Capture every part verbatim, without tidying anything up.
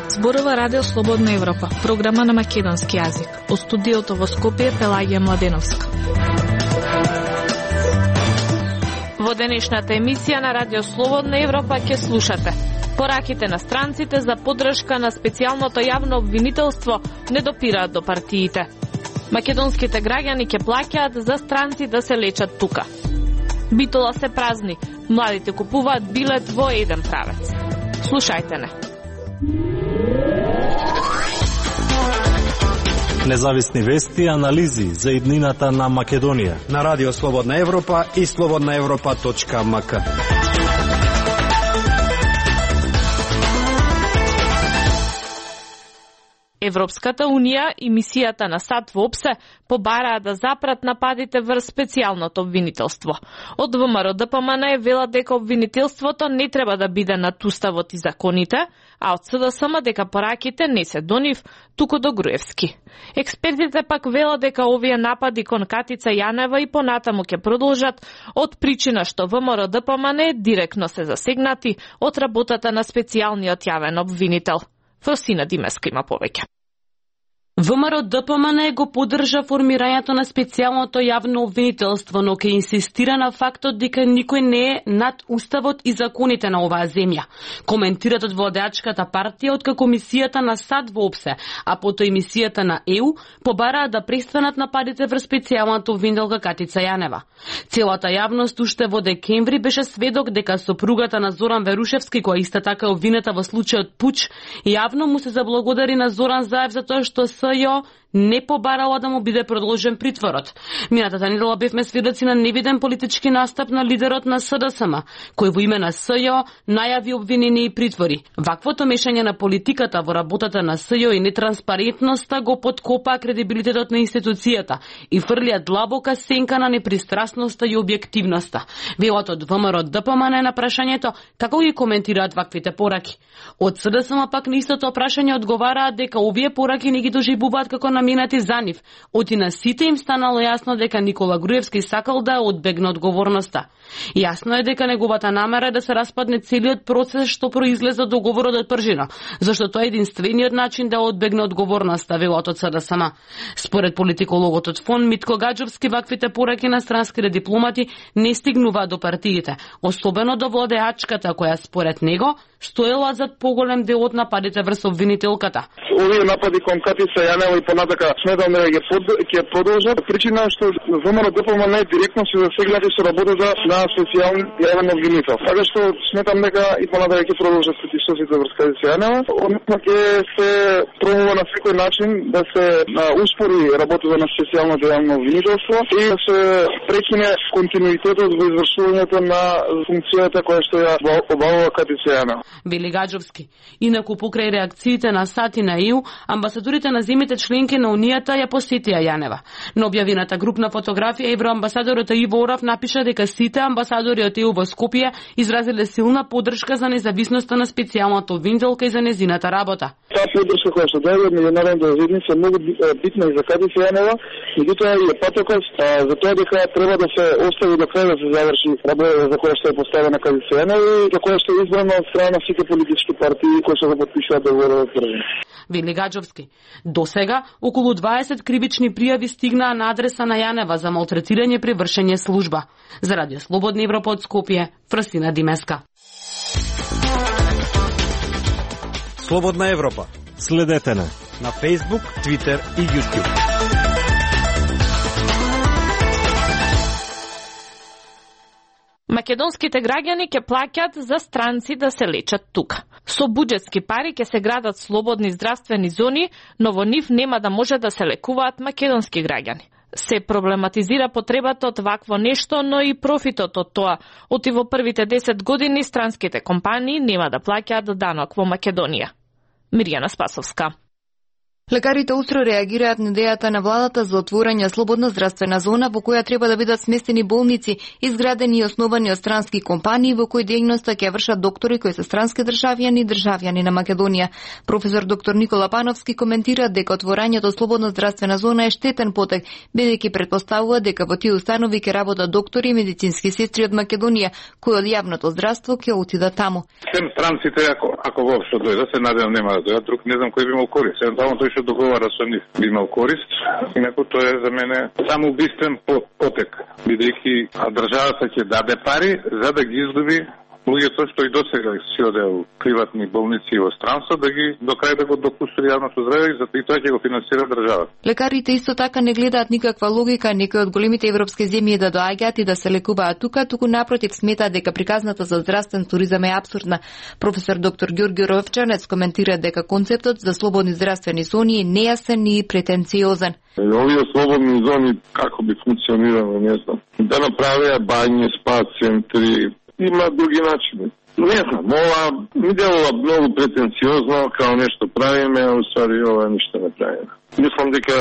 Зборува Радио Слободна Европа, програма на македонски јазик. Од студиото во Скопје Пелагија Младеновска. Во денешната емисија на Радио Слободна Европа ќе слушате пораките на странците за поддршка на специјалното јавно обвинителство не допираат до партиите. Македонските граѓани ќе плаќаат за странци да се лечат тука. Битола се празни, младите купуваат билет во еден правец. Слушајте не. Независни вести и анализи за иднината на Македонија на Радио Слободна Европа и слободна европа точка ем ка. Европската Унија и мисијата на САД во ОПСЕ побараа да запрат нападите врз специјалното обвинителство. Од ВМРО-ДПМН велат дека обвинителството не треба да биде над уставот и законите, а од СДСМ дека пораките не се до нив, туку до Груевски. Експертите пак велат дека овие напади кон Катица Јанева и понатаму ќе продолжат од причина што ВМРО-ДПМН директно се засегнати од работата на специјалниот јавен обвинител. Фросина Димеска има повеќе. ВМРО-ДПМН го поддржа формирањето на специјалното јавно обвинителство, но ќе инсистира на фактот дека никој не е над уставот и законите на оваа земја. Коментират од владеачката партија откако мисијата на САД во ОПСЕ, а потоа и мисијата на Е У побараа да престанат нападите врз специјалната обвинителка Катица Јанева. Целата јавност уште во декември беше сведок дека сопругата на Зоран Верушевски, која иста така е обвинета во случајот Пуч, јавно му се заблагодари на Зоран Заев за тоа што СЈО не побарала да му биде продолжен притворот. Минатата недела бевме сведоци на невиден политички настап на лидерот на СДСМ, кој во име на СЈО најави обвинени и притвори. Ваквото мешање на политиката во работата на СЈО и нетранспарентноста го подкопа кредибилитетот на институцијата и фрлија длабока сенка на непристрасноста и објективноста. Велат од ВМРО-ДПМН на прашањето како ги коментираат ваквите пораки. Од СДСМ пак на истото прашање одговараат дека овие пораки не ги доживуваат како наменати за нив. Оти на сите им станало јасно дека Никола Груевски сакал да одбегне одговорноста. Јасно е дека неговата намера е да се распадне целиот процес што произлезе од договорот од Пржина, зашто тоа е единствениот начин да одбегне одговорноста, велат од СДСМ. Според политикологот од ФОН Митко Гаджовски, ваквите пораки на странските дипломати не стигнуваат до партиите, особено до владеачката која според него стоела зад поголем дел од нападите врз обвинителката. Овие напади кон Катица Јанева и понатака сметам дека ќе под, ќе продолжат. Причина што ВМРО-ДПМН директно се засегнати со работата на специјален јавен обвинител. Така што сметам дека и понатака ќе продолжат притисоците врз Катица Јанева. Односно ќе се пробува на секој начин да се а, успори работата на специјалното јавно обвинителство и да се прекине континуитетот во извршувањето на функцијата која што ја обавува Катица Јанева. Вели Гаджовски. Инаку покрај реакциите на САД и на Е У, амбасадорите на земите членки на Унијата ја посетија Јанева. На објавената групна фотографија евроамбасадорот Иво Орав напиша дека сите амбасадори од Е У во Скопје изразиле силна поддршка за независноста на специјалната обвинителка и за незината работа. Таа поддршка која што даде од меѓународните заедница многу битна и за Катица Јанева, меѓутоа и е патокос за тоа дека треба да се остави до крај да се заврши работата за која што е поставена Катица Јанева и за која што е избрана од страна на сите политички партии кои што го потпишуваат договорот од Пржина. Вели Гаджовски. До сега, околу дваесет кривични пријави стигнаа на адреса на Јанева за малтретирање при вршење служба. За Радио Слободна Европа од Скопје, Фросина Димеска. Слободна Европа. Следете на на Facebook, Twitter и YouTube. Македонските граѓани ќе плаќат за странци да се лечат тука. Со буџетски пари ќе се градат слободни здравствени зони, но во нив нема да може да се лекуваат македонски граѓани. Се проблематизира потребата од вакво нешто, но и профитот од тоа. Оти во првите десет години странските компании нема да плаќаат данок во Македонија. Мирјана Спасовска. Лекарите устро реагираат на идејата на владата за отворање слободна здравствена зона во која треба да бидат сместени болници, изградени и основани од странски компании во кои дејноста ќе вршат доктори кои се странски државјани и државјани на Македонија. Професор доктор Никола Пановски коментира дека отворањето слободна здравствена зона е штетен потек, бидејќи претпоставува дека во тие установи ќе работат доктори и медицински сестри од Македонија, кои од јавното здравство ќе отидат таму. Сем странците, ако, ако воопшто дојдат, се надевам нема да дојдат, друг не знам кој би имал корист. Евентуално тој што договара со нив би имал корист, инаку тоа е за мене само убиствен потек, бидејќи државата ќе даде пари за да ги изгуби луѓето што и досега си оде у приватни болници во странство, да ги до крај да го допусти јавното здравје и затоа тоа ќе го финансира државата. Лекарите исто така не гледаат никаква логика некои од големите европски земји да доаѓаат и да се лекуваат тука, туку напротив сметаат дека приказната за здравствен туризам е апсурдна. Професор доктор Ѓорѓе Ровчанец коментира дека концептот за слободни здравствени зони е нејасен и претенциозен. Овие слободни зони како би функционирало, не знам. Да направија бањи, спа центри, има други начини. Не знам, ова ми делува многу претенциозно, као нешто правиме, а уствари ова ништо не правиме. Мислам дека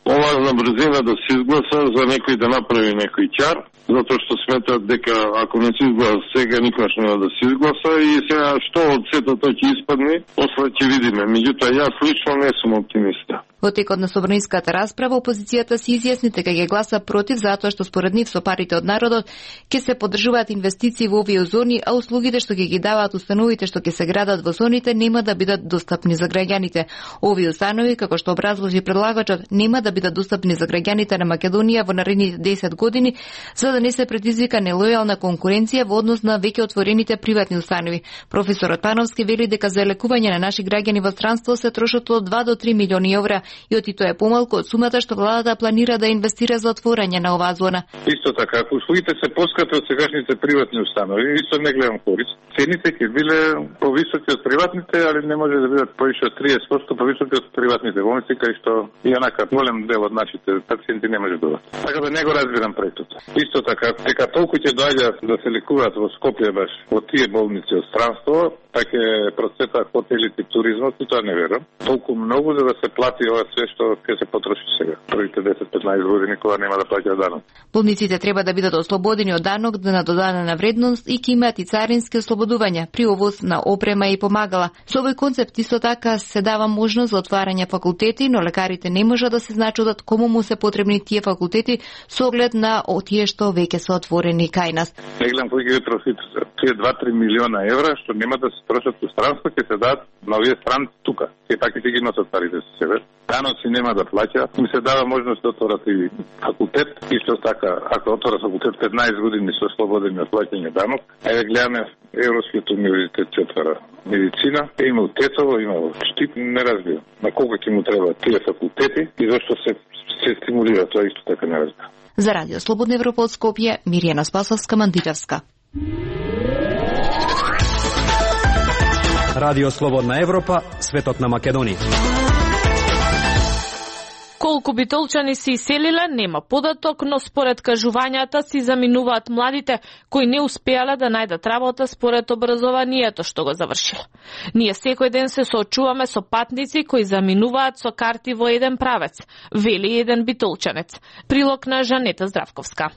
ова на брзина да се изгласа за некој да направи некој ќар, затоа што сметат дека ако не се изгласа сега, никогаш нема да се изгласа и сега што од сето тоа ќе испадне, после ќе видиме. Меѓутоа, јас лично не сум оптимиста. Во текот на собраниската расправа, опозицијата се изјасни дека ќе гласа против затоа што според нив со парите од народот ќе се поддржуваат инвестиции во овие зони, а услугите што ќе ги даваат установите што ќе се градат во зоните нема да бидат достапни за граѓаните. Овие установи, како што образложи предлагачот, нема да бидат достапни за граѓаните на Македонија во наредните десет години, за да не се предизвика нелојална конкуренција во однос на веќе отворените приватни установи. Професорот Пановски вели дека за лекување на наши граѓани во странство се трошат од два до три милиони евра, и оти тоа е помалку од сумата што владата планира да инвестира за отворање на оваа зона. Исто така, ако услугите се поскапи од сегашните приватни установи, исто не гледам корист. Цените ќе биле повисоки од приватните, али не може да бидат повише од триесет проценти повисоки од приватните болници, кај што и онака голем дел од нашите пациенти не може да бидат. Така да не го разбирам проектот. Исто така, дека толку ќе доаѓаат да се лекуваат во Скопје баш во тие болници од странство, така е процета хотелите и туризмот, и тоа не верам. Толку многу за да се плати ова се што ќе се потроши сега. Првите десет-петнаесет години кога нема да плаќаат данок. Болниците треба да бидат ослободени од данок на додадена вредност и ќе имаат и царински ослободувања при овоз на опрема и помагала. Со овој концепт исто така се дава можност за отварање факултети, но лекарите не можат да се значудат кому му се потребни тие факултети со оглед на тие што веќе се отворени кај нас. Не гледам кој ги троши тие два-три милиона евра што нема да се трошат во странство, ќе се дадат на овие странци тука. Ќе така ќе ги носат парите со себе. Даноци нема да плаќа, им се дава можност да отворат и факултет. Исто така, ако отворат факултет петнаесет години со слободени од плаќање данок, ајде гледаме Европскиот универзитет ќе отвара медицина, е имал Тетово, имал Штип, не разбирам на колку ќе му требаат тие факултети и зашто се се стимулира тоа, исто така не разбирам. За Радио Слободна Европа од Скопје, Миријана Спасовска, Мандитевска. Радио Слободна Европа, светот на Македонија. Колку битолчани се иселиле, нема податок, но според кажувањата си заминуваат младите кои не успеале да најдат работа според образованието што го завршиле. Ние секој ден се соочуваме со патници кои заминуваат со карти во еден правец, вели еден битолчанец. Прилог на Жанета Здравковска.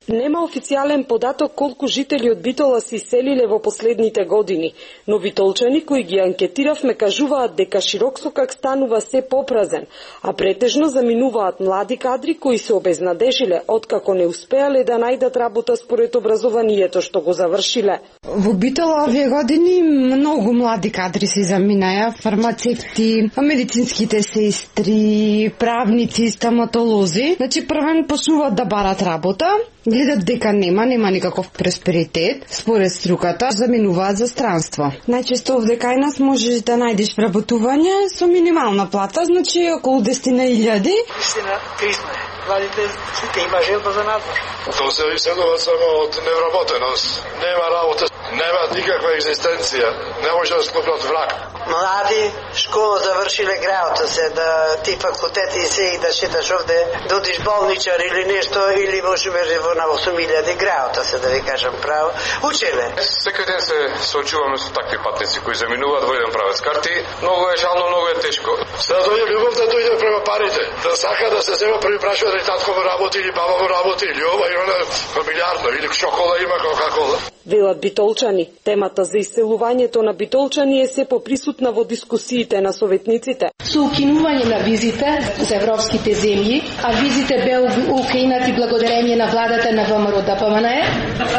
Нема официјален податок колку жители од Битола се иселиле во последните години, но битолчани кои ги анкетиравме кажуваат дека Широксокак станува се попразен, а претежно заминуваат млади кадри кои се обезнадежиле откако не успеале да најдат работа според образованието што го завршиле. Во Битола овие години многу млади кадри се заминаја, фармацевти, медицинските сестри, правници, стоматолози. Значи првен почнуваат да барат работа, гледат дека нема, нема никаков просперитет, според струката, заминуваат за странство. Најчесто овде кај нас можеш да најдеш работување со минимална плата, значи околу десет илјади. Истина, кризма е. Младите сите има желба за надвор. Тоа се иселува само од невработеност. Нема работа, нема никаква екзистенција. Не може да склопнат враг. Млади, школа завршиле граото се, да ти факултети се и да шеташ овде, да одиш болничар или нешто, или може во на осум илјади граота, се да ви кажам право. Учеле. Секој ден се соочуваме со такви патници кои заминуваат во еден правец карти. Многу е жално, многу е тешко. Се да дојде љубов да дојде према парите. Да сака да се зема први прашува дали татко му работи или баба му работи или ова и она фамилиарно или шокола има кока-кола. Велат битолчани, темата за иселувањето на битолчани е се поприсутна во дискусиите на советниците. Со укинување на визите за европските земји, а визите беа укинати благодарение на владата на ВМРО Д П М Н Е,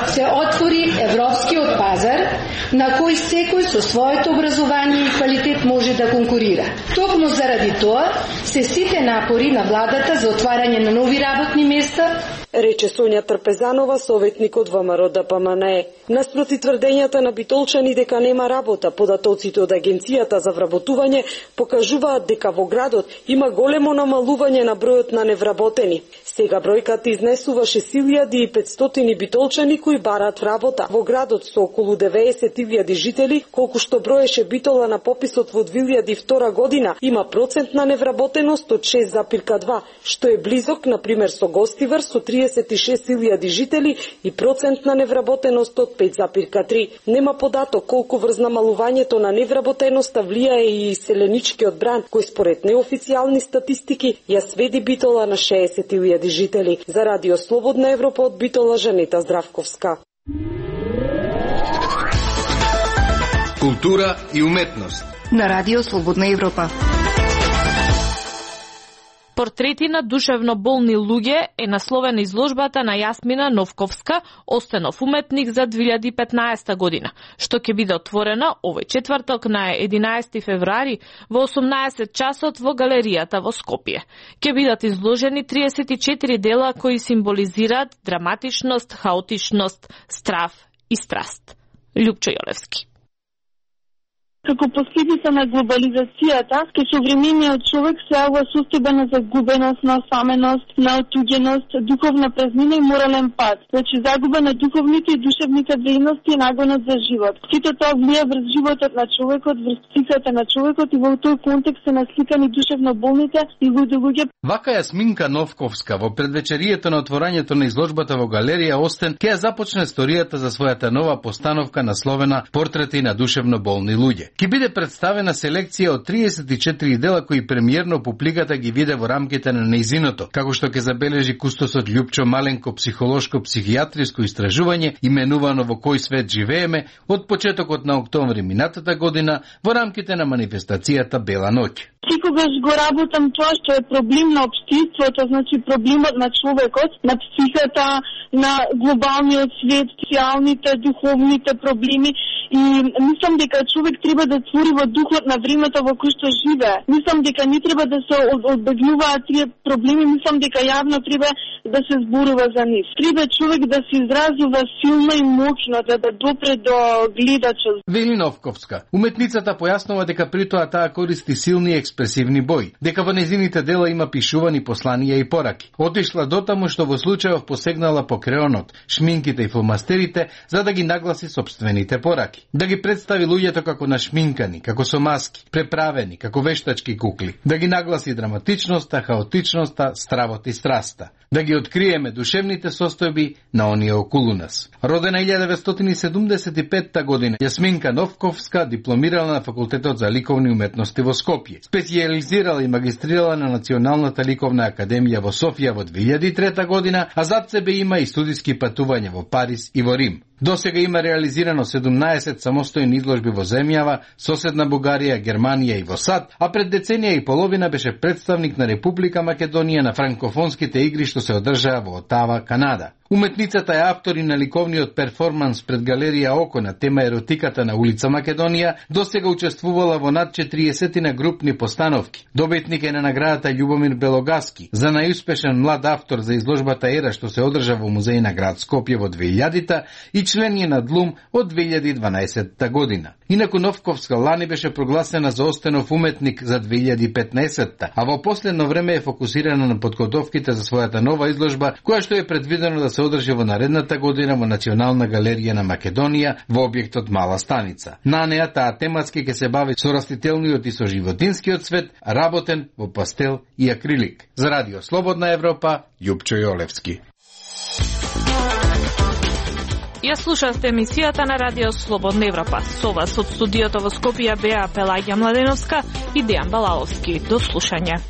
се отвори европскиот пазар на кој секој со своето образование и квалитет може да конкурира. Токму заради тоа се сите напори на владата за отварање на нови работни места, рече Сонја Трпезанова, советник од ВМРО Д П М Н Е. Наспроти тврдењата на битолчани дека нема работа, податоците од Агенцијата за вработување покажуваат дека во градот има големо намалување на бројот на невработени. Сега бројката изнесува шест илјади и петстотини битолчани кои бараат работа. Во градот со околу деветдесет илјади жители, колку што броеше Битола на пописот во две илјади и втора година, има процент на невработеност од шест запирка два, што е близок, например, со Гостивар со триесет и шест илјади жители и процент на невработеност од пет запирка три. Нема податок колку врз намалувањето на невработеноста влијае и иселеничкиот бран, кој според неофицијални статистики ја сведи Битола на шеесет илјади жители. За Радио Слободна Европа од Битола, Жанета Здравковска. Култура и уметност на Радио Слободна Европа. Портрети на душевно болни луѓе е насловена изложбата на Јасмина Новковска, Остенов уметник за две илјади и петнаесета година, што ќе биде отворена овој четврток на единаесети февруари во осумнаесет часот во галеријата во Скопје. Ќе бидат изложени триесет и четири дела кои символизираат драматичност, хаотичност, страв и страст. Љупчо Јолевски. Како последица на глобализацијата, ке современиот човек се јавува состојба на загубеност, на осаменост, на отуѓеност, духовна празнина и морален пад. Значи загуба на духовните и душевните вредности и нагонот за живот. Сите тоа влија врз животот на човекот, врз психиката на човекот и во тој контекст се насликани душевно болните и луѓе луѓе. Вака Јасминка Новковска во предвечерието на отворањето на изложбата во галерија Остен ќе ја започне историјата за својата нова постановка насловена Портрети на душевно болни луѓе. Ке биде представена селекција од триесет и четири дела кои премиерно публиката ги виде во рамките на нејзиното, како што ќе забележи кустосот Љупчо Маленко психолошко-психијатриско истражување именувано Во кој свет живееме од почетокот на октомври минатата година во рамките на манифестацијата Бела ноќ. Секогаш го работам тоа што е проблем на општеството, значи проблемот на човекот, на психата, на глобалниот свет, социјалните, духовните проблеми и мислам дека човек треба да твори во духот на времето во кој што живее. Мислам дека не треба да се одбегнуваат тие проблеми, мислам дека јавно треба да се зборува за нив. Треба човек да се изразува силно и моќно, да да допре до гледачот. Вели Новковска, уметницата појаснува дека при тоа таа користи силни експресивни бои, дека во незините дела има пишувани посланија и пораки. Отишла дотаму што во случајов посегнала по креонот, шминките и фломастерите за да ги нагласи сопствените пораки. Да ги представи луѓето како нашминкани, како со маски, преправени, како вештачки кукли. Да ги нагласи драматичноста, хаотичноста, стравот и страста. Да ги откриеме душевните состојби на оние околу нас. Родена илјада деветстотини и седумдесет и петта година, Јасминка Новковска дипломирала на Факултетот за ликовни уметности во Скопје. Специјализирала и магистрирала на Националната ликовна академија во Софија во две илјади и трета година, а зад себе има и студиски патувања во Париз и во Рим. Досега има реализирано седумнаесет самостојни изложби во земјава, соседна Бугарија, Германија и во САД, а пред деценија и половина беше представник на Република Македонија на франкофонските игри што се одржаа во Отава, Канада. Уметницата е автор и на ликовниот перформанс пред галерија Око на тема еротиката на улица Македонија, досега учествувала во над четириесет на групни постановки. Добитник е на наградата Љубомир Белогаски за најуспешен млад автор за изложбата Ера што се одржа во музеј на град Скопје во две илјадите и член е на Длум од две илјади и дванаесетта година. Инаку Новковска лани беше прогласена за Остенов уметник за две илјади и петнаесетта, а во последно време е фокусирана на подготовките за својата нова изложба, која што е предвидено да се одржи во наредната година во Национална галерија на Македонија во објектот Мала станица. На неа таа тематски ќе се бави со растителниот и со животинскиот свет, работен во пастел и акрилик. За Радио Слободна Европа, Љупчо Јолевски. Ја слушавте емисијата на Радио Слободна Европа. Со вас од студиото во Скопје беа Пелагија Младеновска и Дејан Балаловски. До слушање.